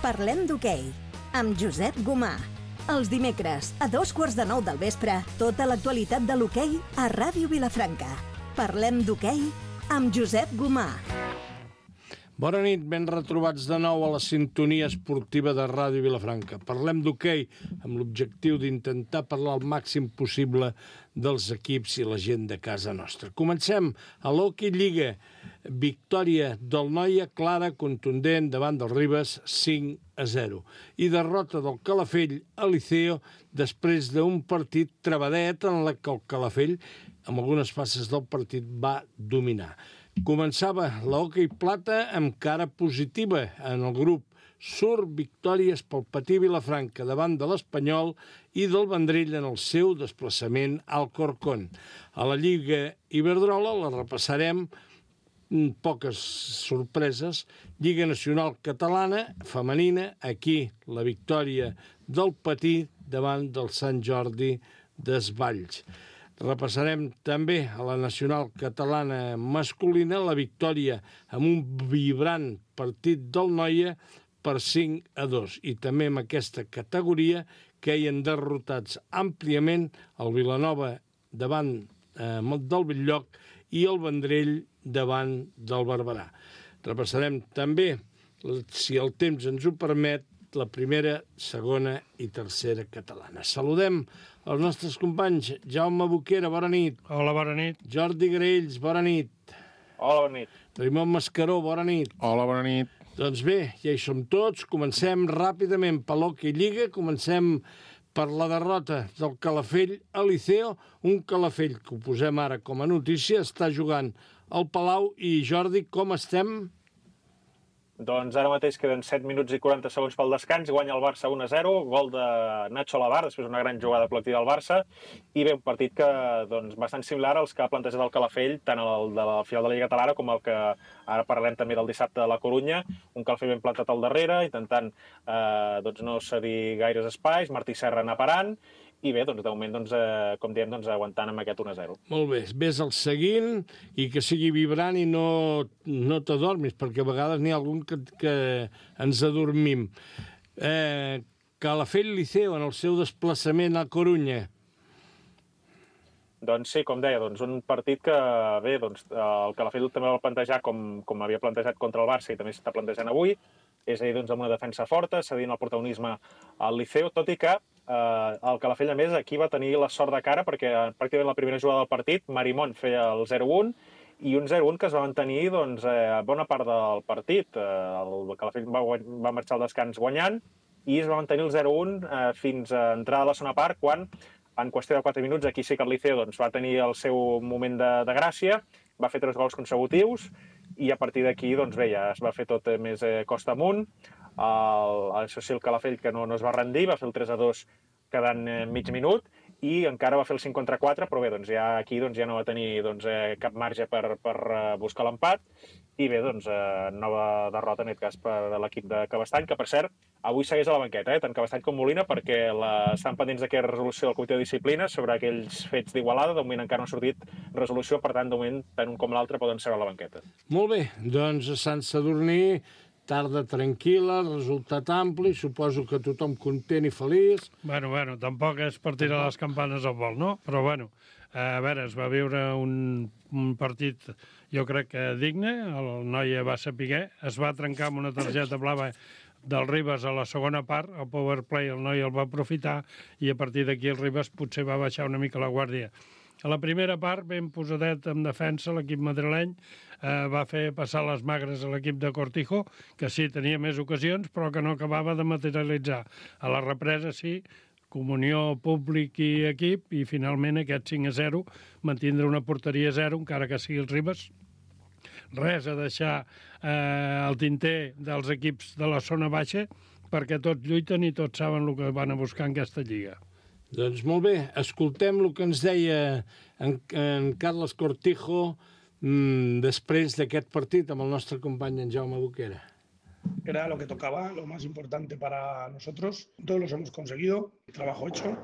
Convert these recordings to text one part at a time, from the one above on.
Parlem d'hoquei, amb Josep Gomà. Els dimecres, a 2:15 del vespre, tota l'actualitat de l'hoquei a Ràdio Vilafranca. Parlem d'hoquei amb Josep Gomà. Bona nit, ben retrobats de nou a la sintonia esportiva de Ràdio Vilafranca. Parlem d'hoquei amb l'objectiu d'intentar parlar el màxim possible dels equips i la gent de casa nostra. Comencem a l'Hockey Lliga. Victòria del Noia clara, contundent, davant del Ribes, 5-0. I derrota del Calafell a Liceo després d'un partit trebadet en la que el Calafell, amb algunes fases del partit, va dominar. Començava l'Hockey Plata amb cara positiva en el grup. Surt victòries pel Patí Vilafranca davant de l'Espanyol i del Vendrell en el seu desplaçament al Corcón. A la Lliga Iberdrola la repassarem, poques sorpreses. Lliga Nacional Catalana femenina, aquí la victòria del Patí davant del Sant Jordi d'Esvalls. Repassarem també a la Nacional Catalana masculina la victòria amb un vibrant partit del Noia per 5-2. I també en aquesta categoria queien derrotats àmpliament el Vilanova davant del Bell-lloc i el Vendrell davant del Barberà. Repassarem també, si el temps ens ho permet, la primera, segona i tercera catalana. Saludem els nostres companys. Jaume Boquera, bona nit. Hola, bona nit. Jordi Graells, bona nit. Hola, bona nit. Raimon Mascaró, bona nit. Hola, bona nit. Doncs bé, ja hi som tots. Comencem ràpidament per l'Hockey Lliga. Comencem per la derrota del Calafell a Liceo. Un Calafell que ho posem ara com a notícia, està jugant al Palau. I Jordi, com estem? Doncs ara mateix queden 7 minuts i 40 segons pel descans, guanya el Barça 1-0, gol de Nacho Lavar, després una gran jugada col·lectiva del Barça, i bé, un partit que, doncs, bastant similar als que ha plantejat el Calafell, tant el de la final de la Lliga Catalana com el que ara parlem també del dissabte de la Corunya, un Calafell ben plantat al darrere, intentant doncs, no cedir gaires espais, Martí Serra anar parant, i bé, doncs, de moment, doncs, com diem, doncs, aguantant amb aquest 1-0. Molt bé, ves el seguint i que sigui vibrant i no t'adormis, perquè a vegades n'hi ha algun que ens adormim. Calafell Liceo en el seu desplaçament a Corunya. Doncs sí, com deia, doncs, un partit que, bé, doncs, el Calafell també va plantejar com havia plantejat contra el Barça i també s'està plantejant avui, és a dir, doncs, amb una defensa forta, cedint el protagonisme al Liceo, tot i que el Calafell, a més, aquí va tenir la sort de cara perquè pràcticament la primera jugada del partit Marimón feia el 0-1 i un 0-1 que es va mantenir doncs, bona part del partit. El Calafell va marxar al descans guanyant i es va mantenir el 0-1 fins a entrar a la segona part quan, en qüestió de 4 minuts, aquí sí que el Liceo doncs, va tenir el seu moment de gràcia, va fer 3 gols consecutius i a partir d'aquí doncs, bé, ja es va fer tot més costa amunt. Això sí, el Calafell que no es va rendir, va fer el 3-2 quedant mig minut i encara va fer el 5 contra 4, però bé, doncs ja aquí doncs, ja no va tenir doncs, cap marge per buscar l'empat i bé, doncs nova derrota en aquest cas per l'equip de Cabestany, que per cert avui segueix a la banqueta, tant Cabestany com Molina, perquè estan pendents d'aquesta resolució del Comitè de Disciplina sobre aquells fets d'Igualada. De moment encara no ha sortit resolució, per tant, de moment, tant un com l'altre poden ser a la banqueta. Molt bé, doncs a Sant Sadurní, tarda tranquil·la, resultat ampli, suposo que tothom content i feliç. Bueno, tampoc és per tirar les campanes al vol, no? Però bueno, a veure, es va viure un partit, jo crec que digne, el Noia va saber, es va trencar amb una targeta blava del Ribes a la segona part, el power play el Noia el va aprofitar i a partir d'aquí el Ribes potser va baixar una mica la guàrdia. A la primera part, ben posadet en defensa, l'equip madrileny va fer passar les magres a l'equip de Cortijo, que sí, tenia més ocasions, però que no acabava de materialitzar. A la represa, sí, comunió públic i equip, i finalment aquest 5-0 mantindre una porteria 0, encara que sigui els Ribes. Res a deixar el tinter dels equips de la zona baixa, perquè tots lluiten i tots saben el que van a buscar en aquesta lliga. Doncs molt bé, escoltem el que ens deia en Carles Cortijo després d'aquest partit amb el nostre company en Jaume Boquera. Era lo que tocaba, lo más importante para nosotros. Todos los hemos conseguido, trabajo hecho.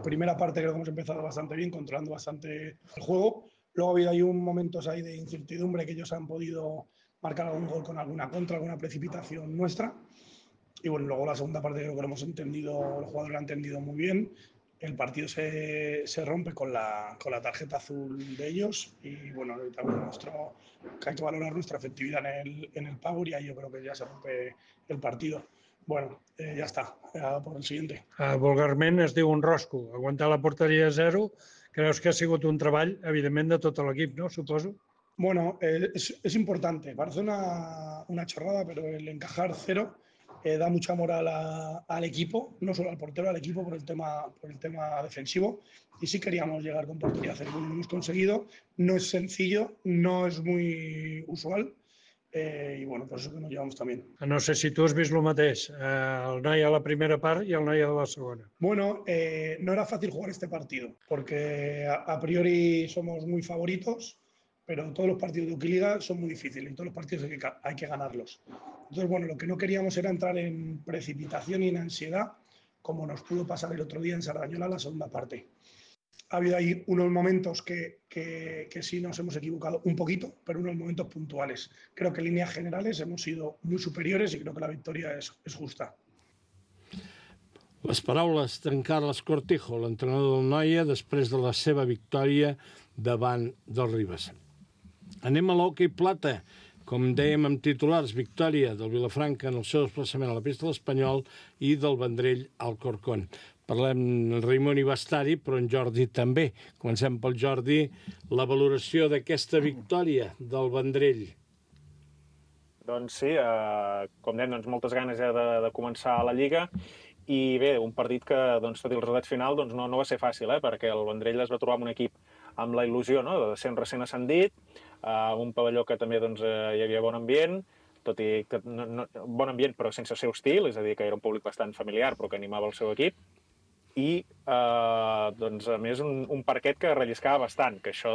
Primera parte creo que hemos empezado bastante bien, controlando bastante el juego. Luego ha habido ahí momentos ahí de incertidumbre que ellos han podido marcar algún gol con alguna contra, alguna precipitación nuestra. Y bueno, luego la segunda parte creo que lo hemos entendido, el jugador lo ha entendido muy bien. El partido se rompe con la tarjeta azul de ellos y bueno, también que hay que valorar nuestra efectividad en el power y ahí yo creo que ya se rompe el partido. Bueno, ja està, por el siguiente. Vulgarment es diu un rosco. Aguantar la porteria a 0, creus que ha sigut un treball, evidentment, de tot l'equip, no? Suposo. Bueno, es importante. Parece una chorrada, pero el encajar 0 da mucha moral al equipo, no solo al portero, al equipo por el tema defensivo. Y sí queríamos llegar con portería a 0. Lo hemos conseguido. No es sencillo, no es muy usual. I bueno, per això que nos llevamos también. No sé si tu has vist el mateix, el noi a la primera part i el noi a la segona. Bueno, no era fácil jugar este partido, porque a priori somos muy favoritos, pero todos los partidos de Ukiliga son muy difíciles y todos los partidos hay que ganarlos. Entonces, bueno, lo que no queríamos era entrar en precipitación y en ansiedad, como nos pudo pasar el otro día en Sardañola, la segunda parte. Ha habido ahí unos momentos que sí nos hemos equivocado un poquito, pero unos momentos puntuales. Creo que en líneas generales hemos sido muy superiores y creo que la victoria es justa. Les paraules d'en Carles Cortijo, l'entrenador del Noia, després de la seva victòria davant del Ribes. Anem a l'hoquei plata. Com dèiem amb titulars, victòria del Vilafranca en el seu desplaçament a la pista de l'Espanyol i del Vendrell al Corcón. Parlem, en Raimon hi va estar-hi, però en Jordi també. Comencem pel Jordi, la valoració d'aquesta victòria del Vendrell. Doncs sí, com dèiem, moltes ganes de començar a la Lliga i bé, un partit que, tot i el resultat final, no va ser fàcil, perquè el Vendrell es va trobar amb un equip amb la il·lusió de ser un recent ascendit, un pavelló que també hi havia bon ambient, tot i que bon ambient però sense ser hostil, és a dir, que era un públic bastant familiar però que animava el seu equip, i a més un parquet que relliscava bastant, que això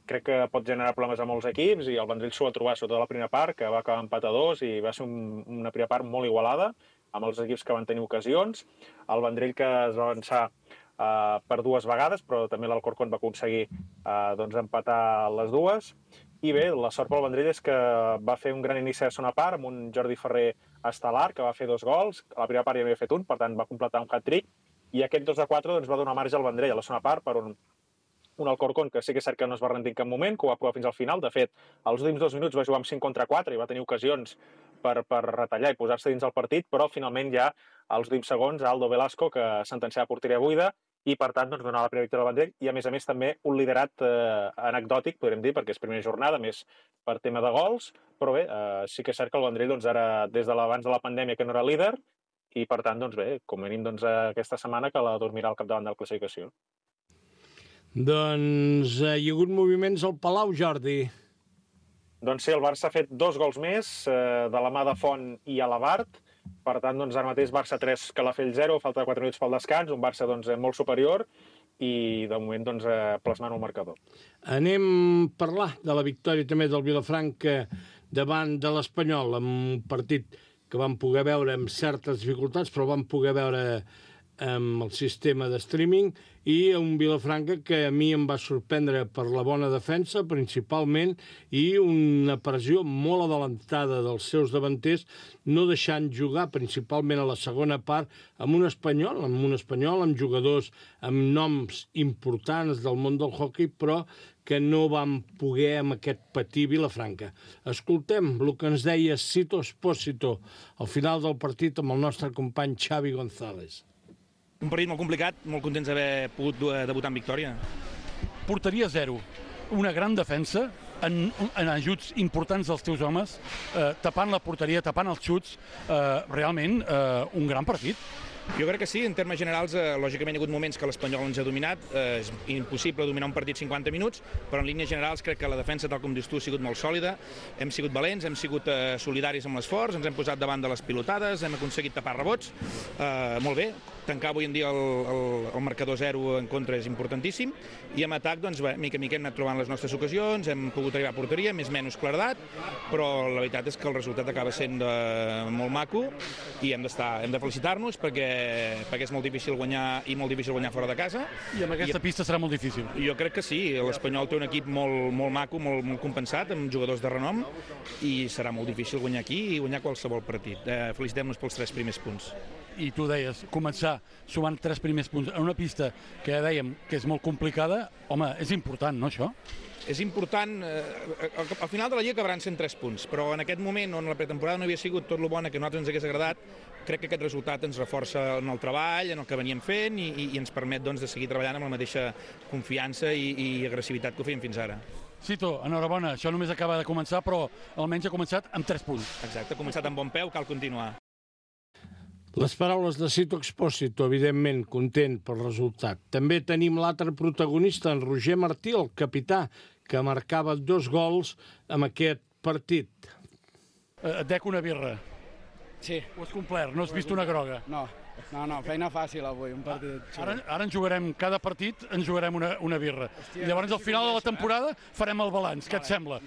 crec que pot generar problemes a molts equips i el Vendrell s'ho va trobar sobretot a la primera part, que va acabar empat a 2 i va ser una primera part molt igualada amb els equips que van tenir ocasions. El Vendrell que es va avançar per 2 vegades, però també l'Alcorcón va aconseguir empatar les 2. I bé, la sort pel Vendrell és que va fer un gran inici de segona part amb un Jordi Ferrer estel·lar, que va fer 2 gols. A la primera part ja havia fet un, per tant va completar un hat-trick. I aquest 2-4 va donar marge al Vendrell a la segona part per un Alcorcón que sí que és cert que no es va rendir en cap moment, que ho va provar fins al final. De fet, als últims 2 minuts va jugar amb 5 contra 4 i va tenir ocasions per retallar i posar-se dins el partit, però finalment ja als últims segons Aldo Velasco, que sentenciava porteria buida, i per tant donava la primera victòria al Vendrell i a més també un liderat anecdòtic, podríem dir, perquè és primera jornada, més per tema de gols, però bé, sí que és cert que el Vendrell ara, des de l'abans de la pandèmia, que no era líder, i per tant, bé, com a mínim aquesta setmana que la dormirà al capdavant de la classificació. Doncs hi ha hagut moviments al Palau, Jordi. Doncs sí, el Barça ha fet 2 gols més, de la mà de Font i Alabart. Per tant, ara mateix Barça 3, Calafell 0, falta 4 minuts pel descans, un Barça molt superior i de moment plasmant un marcador. Anem a parlar de la victòria també del Vilafranca davant de l'Espanyol, amb un partit que vam poder veure amb certes dificultats, però vam poder veure amb el sistema de streaming, i un Vilafranca que a mi em va sorprendre per la bona defensa, principalment, i una pressió molt adelantada dels seus davanters, no deixant jugar, principalment a la segona part, amb un espanyol, amb jugadors amb noms importants del món del hoquei, però que no vam poder amb aquest patir Vilafranca. Escoltem el que ens deia Sito Espósito al final del partit amb el nostre company Xavi González. Un partit molt complicat, molt contents d'haver pogut debutar en victòria. Porteria 0, una gran defensa, en ajuts importants dels teus homes, tapant la porteria, tapant els xuts, realment un gran partit. Jo crec que sí, en termes generals, lògicament hi ha hagut moments que l'Espanyol ens ha dominat, és impossible dominar un partit 50 minuts, però en línies generals crec que la defensa, tal com dius tu, ha sigut molt sòlida, hem sigut valents, hem sigut solidaris amb l'esforç, ens hem posat davant de les pilotades, hem aconseguit tapar rebots, molt bé, tancar avui en dia el marcador 0 en contra és importantíssim, i en atac, doncs, mica en mica hem anat trobant les nostres ocasions, hem pogut arribar a porteria, més o menys claredat, però la veritat és que el resultat acaba sent molt maco i hem de felicitar-nos perquè és molt difícil guanyar i molt difícil guanyar fora de casa. I amb aquesta pista serà molt difícil. Jo crec que sí, l'Espanyol té un equip molt maco, molt compensat, amb jugadors de renom, i serà molt difícil guanyar aquí i guanyar qualsevol partit. Felicitem-nos pels 3 primers punts. I tu deies, començar sumant 3 primers punts en una pista que ja dèiem que és molt complicada, home, és important, no, això? És important, al final de la Lliga acabaran sent 3 punts, però en aquest moment on la pretemporada no havia sigut tot el bona que a nosaltres ens hagués agradat, crec que aquest resultat ens reforça en el treball, en el que veníem fent i ens permet doncs, de seguir treballant amb la mateixa confiança i agressivitat que ho fèiem fins ara. Cito, enhorabona, això només acaba de començar, però almenys ha començat amb 3 punts. Exacte, ha començat amb bon peu, cal continuar. Les paraules de Cito Expósito, evidentment, content pel resultat. També tenim l'altre protagonista, en Roger Martí, el capità, que marcava 2 gols amb aquest partit. Et dec una birra. Sí. Ho has complert, no has vist una groga. No, feina fàcil avui, un partit xulo. Ara en jugarem, cada partit ens jugarem una birra. I llavors al final de la temporada farem el balanç, què et sembla?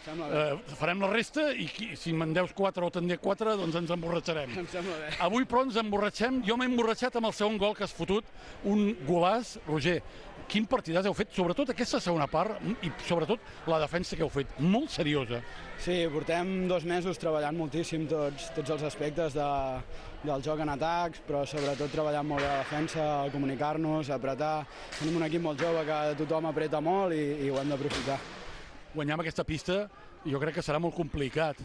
Farem la resta i si me'n deus 4 o te'n dec 4, doncs ens emborratxarem. Em sembla bé. Avui, però, ens emborratxem. Jo m'he emborratxat amb el segon gol que has fotut, un golàs. Roger, quin partidàs heu fet, sobretot aquesta segona part i sobretot la defensa que heu fet, molt seriosa. Sí, portem 2 mesos treballant moltíssim tots els aspectes del joc en atacs, però sobretot treballant molt bé la defensa, comunicar-nos, apretar. Tenim un equip molt jove que tothom apreta molt i ho hem d'aprofitar. Guanyar amb aquesta pista jo crec que serà molt complicat,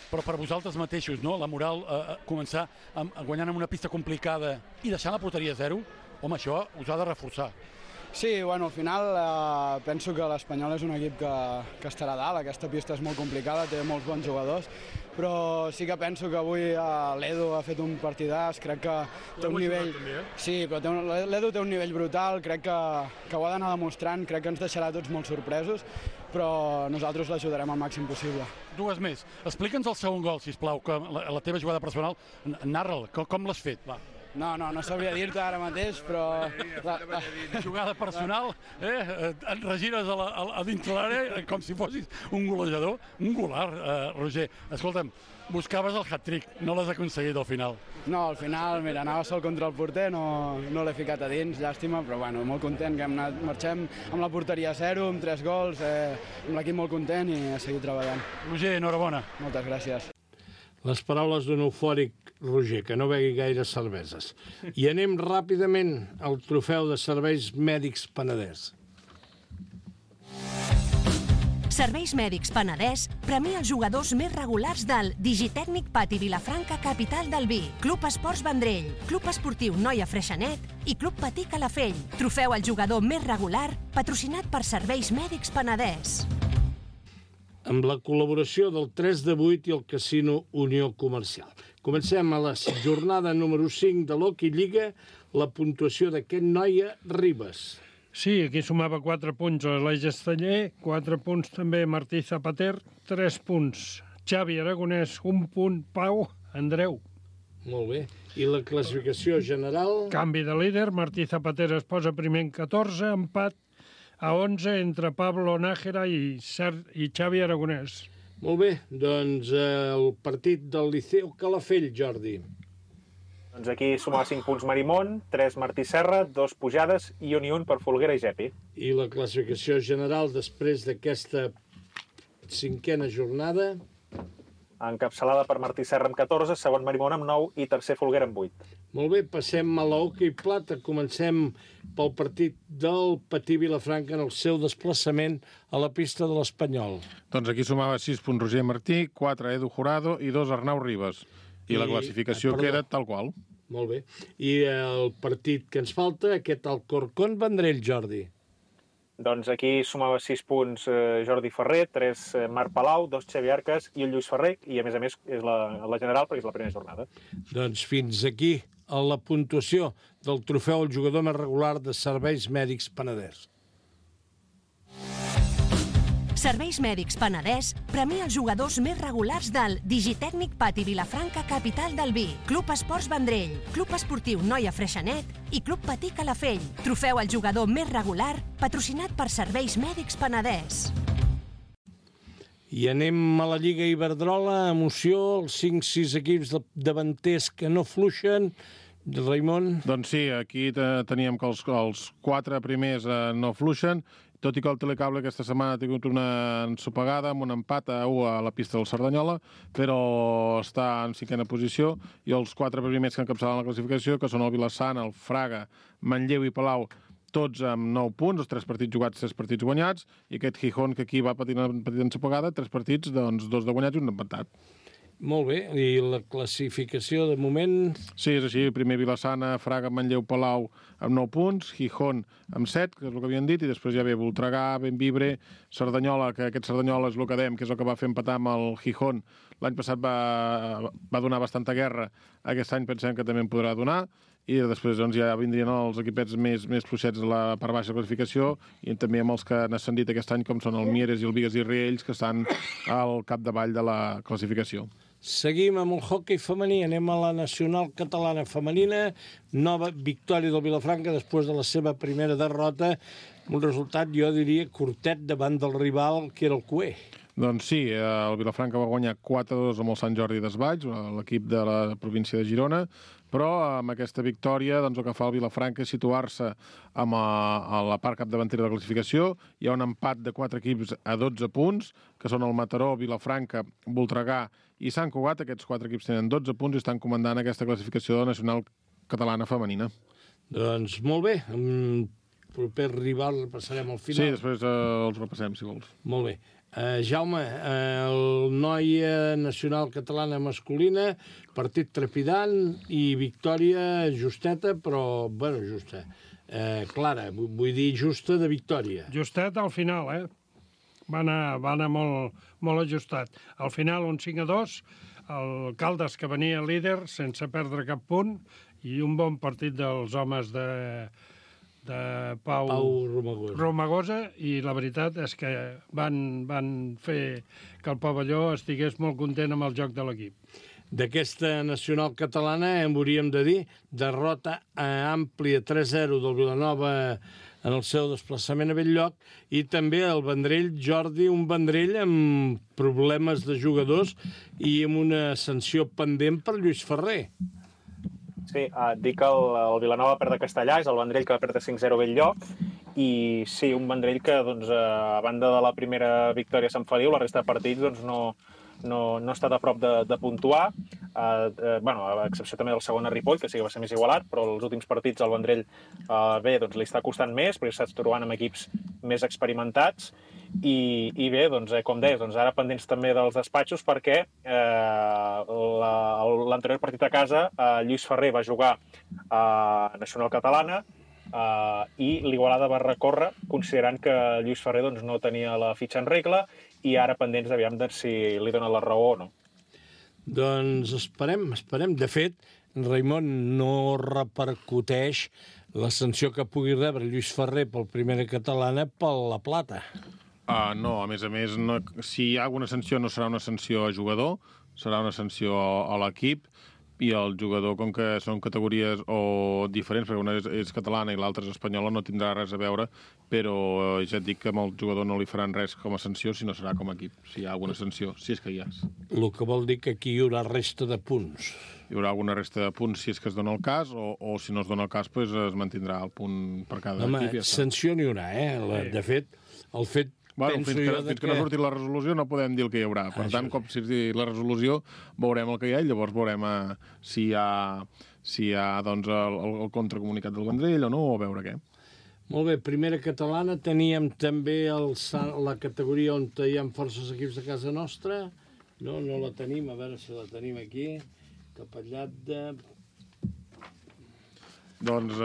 però per vosaltres mateixos, no? La moral, començar guanyant amb una pista complicada i deixant la porteria a 0, home, això us ha de reforçar. Sí, bueno, al final penso que l'Espanyol és un equip que estarà a dalt. Aquesta pista és molt complicada, té molts bons jugadors, però sí que penso que avui l'Edu ha fet un partidàs, crec que té un nivell... Sí, però l'Edu té un nivell brutal, crec que ho ha d'anar demostrant, crec que ens deixarà tots molt sorpresos, però nosaltres l'ajudarem al màxim possible. 2 més. Explica'ns el segon gol, sisplau, que la teva jugada personal, narra'l, com l'has fet, va. No sabria dir-te ara mateix, però... Jugada personal, et regires a dintre l'àrea com si fossis un golejador, un golar, Roger. Escolta'm, buscaves el hat-trick, no l'has aconseguit al final. No, al final, mira, anava sol contra el porter, no l'he ficat a dins, llàstima, però bueno, molt content que marxem amb la porteria a 0, amb 3 gols, amb l'equip molt content i a seguir treballant. Roger, enhorabona. Moltes gràcies. Les paraules d'un eufòric Roger, que no begui gaire cerveses. I anem ràpidament al trofeu de Serveis Mèdics Penedès. Serveis Mèdics Penedès premia els jugadors més regulars del Digitècnic Pati Vilafranca, capital del vi, Club Esports Vendrell, Club Esportiu Noia Freixenet i Club Patí Calafell. Trofeu al jugador més regular, patrocinat per Serveis Mèdics Penedès. Amb la col·laboració del 3 de 8 i el Casino Unió Comercial. Comencem a la jornada número 5 de l'Hockey Lliga, la puntuació d'aquest Noia Ribas. Sí, aquí sumava 4 punts a l'Eix Esteller, 4 punts també Martí Zapater, 3 punts Xavi Aragonès, 1 punt Pau Andreu. Molt bé. I la classificació general? Canvi de líder, Martí Zapater es posa primer en 14, empat a 11 entre Pablo Nájera i Xavi Aragonès. Molt bé, doncs el partit del Liceu Calafell, Jordi. Doncs aquí sumava 5 punts Marimón, 3 Martí Serra, 2 Pujades i un per Folguera i Gepi. I la classificació general després d'aquesta 5a jornada? Encapçalada per Martí Serra amb 14, segon Marimón amb 9 i tercer Folguera amb 8. Molt bé, passem a l'Hockey Plata. Comencem pel partit del Patí Vilafranca en el seu desplaçament a la pista de l'Espanyol. Doncs aquí sumava 6 punts Roger Martí, 4 Edu Jurado i 2 Arnau Ribas. I la classificació queda tal qual. Molt bé. I el partit que ens falta, aquest Alcorcón Vendrell, Jordi. Doncs aquí sumava 6 punts Jordi Ferrer, 3 Marc Palau, 2 Xavi Arcas i un Lluís Ferrer, i a més és la general perquè és la primera jornada. Doncs fins aquí a la puntuació del trofeu al jugador més regular de Serveis Mèdics Penedès. Serveis Mèdics Penedès premia els jugadors més regulars del Digitècnic Pati Vilafranca, capital del vi, Club Esports Vendrell, Club Esportiu Noia Freixenet i Club Patí Calafell. Trofeu al jugador més regular, patrocinat per Serveis Mèdics Penedès. I anem a la Lliga Iberdrola, emoció, els 5-6 equips davanters que no fluixen. Raimon? Doncs sí, aquí teníem que els 4 primers no fluixen, tot i que el Telecable aquesta setmana ha tingut una ensopegada amb un empat a 1 a la pista del Cerdanyola, però està en 5a posició, i els 4 primers que encapçalen la classificació, que són el Vilassana, el Fraga, Manlleu i Palau, tots amb 9 punts, els 3 partits jugats, 3 partits guanyats, i aquest Gijón, que aquí va patir una petita ensopegada, 3 partits, doncs 2 de guanyats i un empatat. Molt bé, i la classificació de moment? Sí, és així, primer Vilassana, Fraga, Manlleu, Palau amb 9 punts, Gijón amb 7, que és el que havien dit, i després ja ve Voltregà, Bembibre, Cerdanyola, que aquest Cerdanyola és el que dèiem, que és el que va fer empatar amb el Gijón. L'any passat va donar bastanta guerra, aquest any pensem que també en podrà donar, i després doncs, ja vindrien els equipets més fluixets de la part baixa de classificació, i també amb els que han ascendit aquest any, com són el Mieres i el Bigues i Riells, que estan al capdavall de la classificació. Seguim amb el hoquei femení, anem a la Nacional Catalana Femenina, nova victòria del Vilafranca després de la seva primera derrota, un resultat, jo diria, curtet davant del rival, que era el Cué. Doncs sí, el Vilafranca va guanyar 4-2 amb el Sant Jordi Desvalls, l'equip de la província de Girona, però amb aquesta victòria doncs, el que fa el Vilafranca és situar-se a la part capdavantera de la classificació. Hi ha un empat de 4 equips a 12 punts, que són el Mataró, Vilafranca, Voltregà i Sant Cugat. Aquests 4 equips tenen 12 punts i estan comandant aquesta classificació de la Nacional Catalana Femenina. Doncs molt bé, amb proper rival passarem al final. Sí, després els repassem, si vols. Molt bé. Jaume, el Noia Nacional Catalana Masculina, partit trepidant i victòria justeta, però, bueno, justa. Clara, vull dir justa de victòria. Justet al final, Va anar molt ajustat. Al final, un 5-2, el Caldes, que venia líder sense perdre cap punt, i un bon partit dels homes de Pau Romagosa, i la veritat és que van fer que el pavelló estigués molt content amb el joc de l'equip. D'aquesta nacional catalana, hauríem de dir, derrota àmplia 3-0 del Vilanova en el seu desplaçament a Bell-lloc, i també el Vendrell, Jordi, un Vendrell amb problemes de jugadors i amb una sanció pendent per Lluís Ferrer. Sí, dic que el Vilanova perd a Castellà, és el Vendrell que va perdre 5-0 a Bell-lloc, i sí, un Vendrell que, doncs, a banda de la primera victòria a Sant Feliu, la resta de partits doncs, no ha estat a prop de puntuar, a excepció també del segon a Ripoll, que sí que va ser més igualat, però els últims partits el Vendrell doncs, li està costant més, perquè s'està trobant amb equips més experimentats, i bé, doncs, com deies, doncs, ara pendents també dels despatxos, perquè l'anterior partit a casa Lluís Ferrer va jugar a Nacional Catalana, i l'Igualada va recórrer considerant que Lluís Ferrer doncs, no tenia la fitxa en regla, i ara pendents aviam de si li dona la raó o no. Doncs esperem. De fet, Raimon, no repercuteix la sanció que pugui rebre Lluís Ferrer pel Primera Catalana per la plata. No, a més, si hi ha alguna sanció no serà una sanció a jugador, serà una sanció a l'equip, i el jugador, com que són categories diferents, perquè una és catalana i l'altra és espanyola, no tindrà res a veure, però ja et dic que amb el jugador no li faran res com a sanció, sinó serà com a equip, si hi ha alguna sanció, si és que hi ha. El que vol dir que aquí hi haurà resta de punts. Hi haurà alguna resta de punts si és que es dona el cas, o si no es dona el cas, doncs es mantindrà el punt per cada equip. Home, sanció n'hi haurà, De fet, el fet... Bueno, fins que no surti la resolució no podem dir el que hi haurà. Per tant, com si la resolució, veurem el que hi ha i llavors veurem si hi ha doncs, el contracomunicat del Vendrell o no, o a veure què. Molt bé, Primera Catalana, teníem també la categoria on hi ha forces equips de casa nostra. No la tenim, a veure si la tenim aquí. Capellat de... Doncs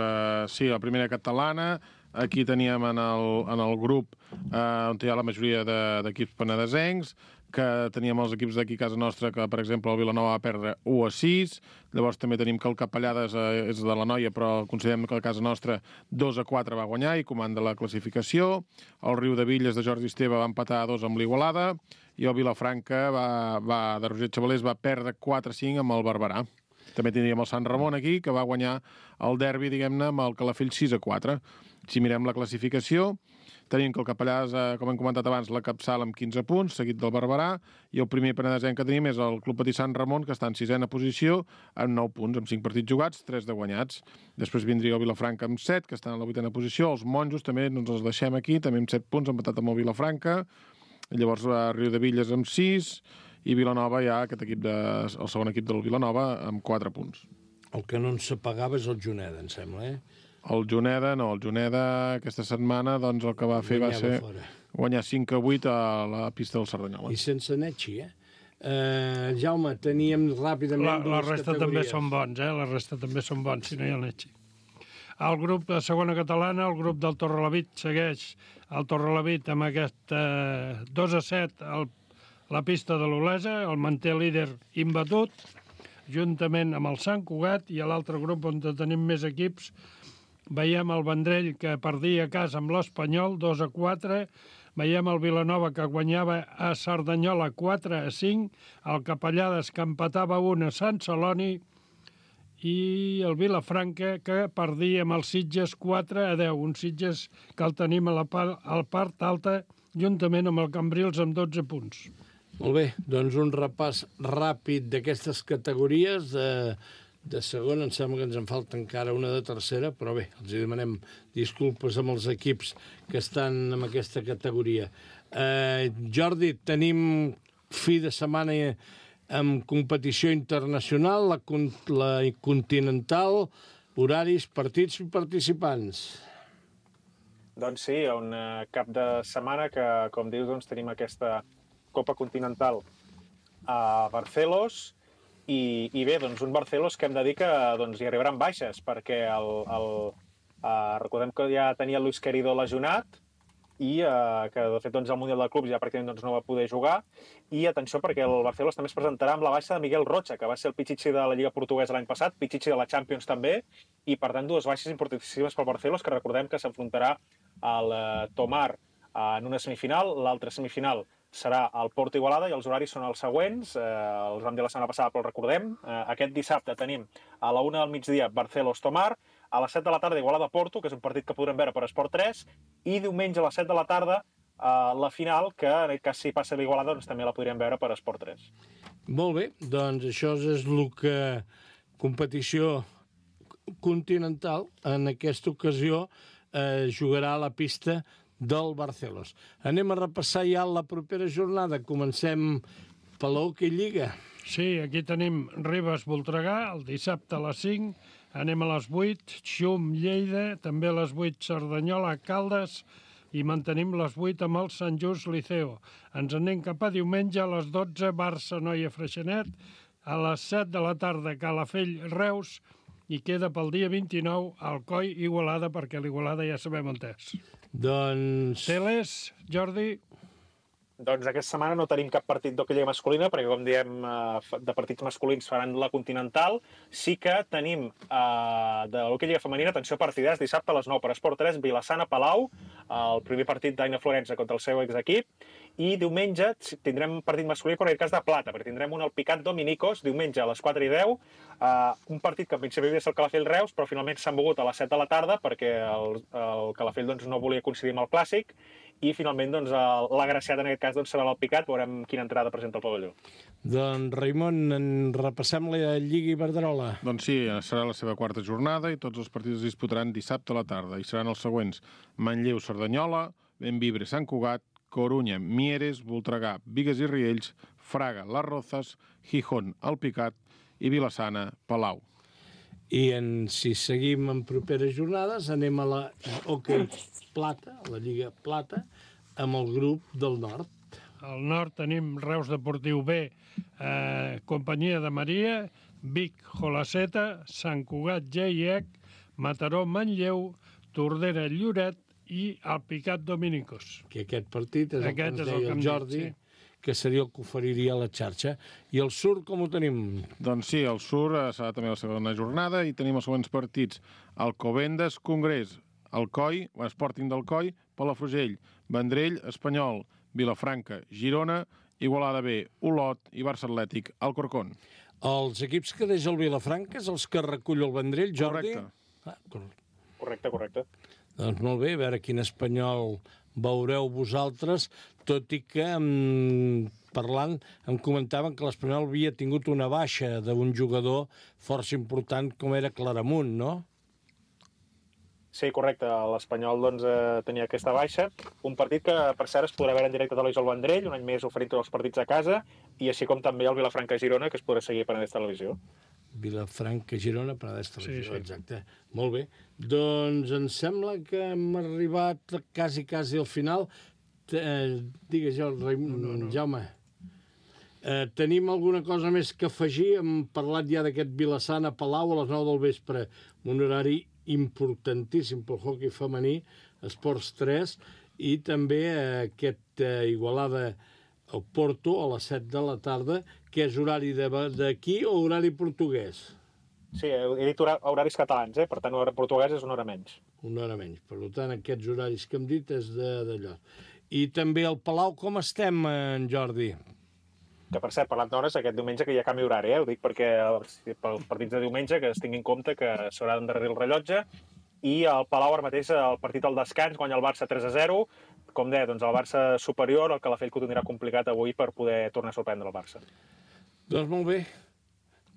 sí, la Primera Catalana. Aquí teníem en el grup on hi ha la majoria d'equips penedesencs. que teníem els equips d'aquí a casa nostra, que, per exemple, el Vilanova va perdre 1-6. Llavors també tenim que el Capellades és de la Noia, però considerem que a casa nostra 2-4 va guanyar i comanda la classificació. El Riu de Villes de Jordi Esteve va empatar 2 amb l'Igualada i el Vilafranca de Roger Chavalés va perdre 4-5 amb el Barberà. També tindríem el Sant Ramon aquí, que va guanyar el derbi, diguem-ne, amb el Calafell 6-4. Si mirem la classificació, tenim que el Capellàs, com hem comentat abans, la capçala amb 15 punts, seguit del Barberà, i el primer penedesenc que tenim és el Club Patí Sant Ramon, que està en 6a posició, amb 9 punts, amb 5 partits jugats, 3 de guanyats. Després vindria el Vilafranca amb 7, que està en la 8a posició. Els monjos també ens els deixem aquí, també amb 7 punts, empatat amb el Vilafranca. Llavors Riu de Villes amb 6, i Vilanova ja, el segon equip del Vilanova, amb 4 punts. El que no ens s'apagava és el Juneda, em sembla, El Juneda aquesta setmana doncs el que va fer va ser guanyar 5-8 a la pista del Cerdanyola. I sense Netxi, Jaume, teníem ràpidament la resta també són bons, la resta també són bons, si no hi ha el Netxi. El grup de segona catalana, el grup del Torrelavit segueix el Torrelavit amb aquest 2-7 la pista de l'Olesa, el manté líder imbatut, juntament amb el Sant Cugat, i a l'altre grup on tenim més equips veiem el Vendrell, que perdia a casa amb l'Espanyol 2-4, veiem el Vilanova, que guanyava a Cerdanyola 4-5, el Capellades, que empatava 1 a Sant Celoni, i el Vilafranca, que perdia amb els Sitges 4-10, un Sitges que el tenim a la part alta, juntament amb el Cambrils amb 12 punts. Molt bé, doncs un repàs ràpid d'aquestes categories de segona. Em sembla que ens en falta encara una de tercera, però bé, els demanem disculpes amb els equips que estan en aquesta categoria. Jordi, tenim fi de setmana amb competició internacional, la continental, horaris, partits i participants. Doncs sí, un cap de setmana que, com dius, doncs, tenim aquesta Copa Continental a Barcelos i bé, doncs un Barcelos que hem de dir que doncs, hi arribaran baixes perquè recordem que ja tenia Luis Querido lesionat i que de fet doncs, el Mundial de Clubs ja pràcticament doncs, no va poder jugar, i atenció perquè el Barcelos també es presentarà amb la baixa de Miguel Rocha, que va ser el Pichichi de la Lliga Portuguesa l'any passat, Pichichi de la Champions també, i per tant 2 baixes importantíssimes pel Barcelos, que recordem que s'enfrontarà al Tomar en una semifinal, l'altra semifinal serà el Porto Igualada i els horaris són els següents, els vam dir la setmana passada però els recordem. Aquest dissabte tenim a la 1 del migdia Barcelos-Tomar, a les 7 de la tarda Igualada-Porto, que és un partit que podrem veure per Esport 3, i diumenge a les 7 de la tarda la final, que en aquest cas si passa l'Igualada doncs també la podríem veure per Esport 3. Molt bé, doncs això és el que competició continental en aquesta ocasió jugarà a la pista del Barcelos. Anem a repassar ja la propera jornada. Comencem per l'Hockey Lliga. Sí, aquí tenim Ribes-Voltregà, el dissabte a les 5, anem a les 8, Xum-Lleida, també a les 8 Cerdanyola-Caldes, i mantenim les 8 amb el Sant Just Liceo. Ens anem cap a diumenge a les 12, Barça-Noia-Freixenet, a les 7 de la tarda Calafell-Reus, i queda pel dia 29 Alcoi-Igualada, perquè l'Igualada ja sabem on és. Doncs... Teles, Jordi? Doncs aquesta setmana no tenim cap partit d'hoquei lliga masculina, perquè, com diem, de partits masculins faran la Continental. Sí que tenim de l'hoquei lliga femenina, atenció, partidars, dissabte a les 9 per Esport 3, Vilassana-Palau, el primer partit d'Aina Florença contra el seu exequip, i diumenge tindrem partit masculí, però en aquest cas de plata, perquè tindrem un Alpicat Dominicos, diumenge a les 4:10, un partit que en principi havia de ser el Calafell-Reus, però finalment s'han mogut a les 7 de la tarda, perquè el Calafell doncs, no volia coincidir amb el Clàssic, i finalment doncs, l'agraciat en aquest cas doncs, serà l'Alpicat, veurem quina entrada presenta el pavelló. Doncs, Raimon, repassem la Lliga Iberdrola. Doncs sí, serà la seva quarta jornada i tots els partits es disputaran dissabte a la tarda, i seran els següents: Manlleu-Cerdanyola, Bembibre-Sant Cugat, Corunya, Mieres, Voltregà, Bigues i Riells, Fraga, Las Rozas, Gijón, Alpicat i Vilassana, Palau. I si seguim en properes jornades, anem a la Hockey Plata, a la Lliga Plata, amb el grup del Nord. Al Nord tenim Reus Deportiu B, Companyia de Maria, Vic, Jolaceta, Sant Cugat, Geiec, Mataró, Manlleu, Tordera, Lloret i Alpicat Dominicos. Que aquest partit és el que ens deia el Jordi, que seria el que oferiria la xarxa. I el Sur, com ho tenim? Doncs sí, el Sur serà també la segona jornada i tenim els següents partits. Alcobendas, Congrés, Alcoi, Sporting d'Alcoi, Palafrugell, Vendrell, Espanyol, Vilafranca, Girona, Igualada B, Olot i Barça Atlètic, Alcorcón. Els equips que deixa el Vilafranca és els que recull el Vendrell, Jordi? Correcte. Correcte. Doncs molt bé, a veure quin Espanyol veureu vosaltres, tot i que parlant em comentaven que l'Espanyol havia tingut una baixa d'un jugador força important com era Claramunt, no? Sí, correcte. L'Espanyol doncs, tenia aquesta baixa. Un partit que, per cert, es podrà veure en directe a Televisió al Vendrell, un any més oferint tots els partits a casa, i així com també el Vilafranca-Girona, que es podrà seguir per Penedès Televisió. Vilafranca-Girona, Penedès Televisió, Sí. exacte. Molt bé. Doncs em sembla que hem arribat quasi al final. Digues, Jaume. Tenim alguna cosa més que afegir? Hem parlat ja d'aquest Vilassana-Palau a les 9 del vespre, un horari importantíssim pel hoquei femení, Esports 3, i també aquest Igualada al Porto a les 7 de la tarda, que és horari d'aquí o horari portuguès? Sí, he dit horaris catalans, per tant, l'hora portuguesa és una hora menys. Una hora menys. Per tant, aquests horaris que hem dit és d'allò. I també al Palau, com estem, en Jordi? Que, per cert, parlant d'hores, aquest diumenge que hi ha canvi horari, ho dic perquè pels partits de diumenge que es tingui en compte que s'haurà d'endarrerir el rellotge, i al Palau ara mateix el partit al descans guanya el Barça 3-0, com deia, doncs el Barça superior, el Calafell que ho tindrà complicat avui per poder tornar a sorprendre el Barça. Doncs molt bé.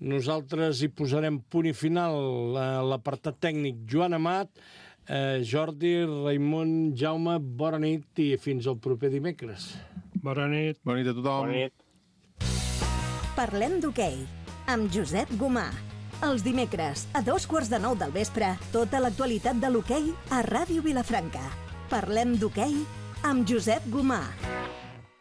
Nosaltres hi posarem punt i final a l'apartat tècnic. Joan Amat, Jordi, Raimon, Jaume, bona nit i fins al proper dimecres. Bona nit. Bona nit a tothom. Bona nit. Parlem d'hoquei, amb Josep Gomà. Els dimecres, a 8:45 del vespre, tota l'actualitat de l'hoquei a Ràdio Vilafranca. Parlem d'hoquei amb Josep Gomà.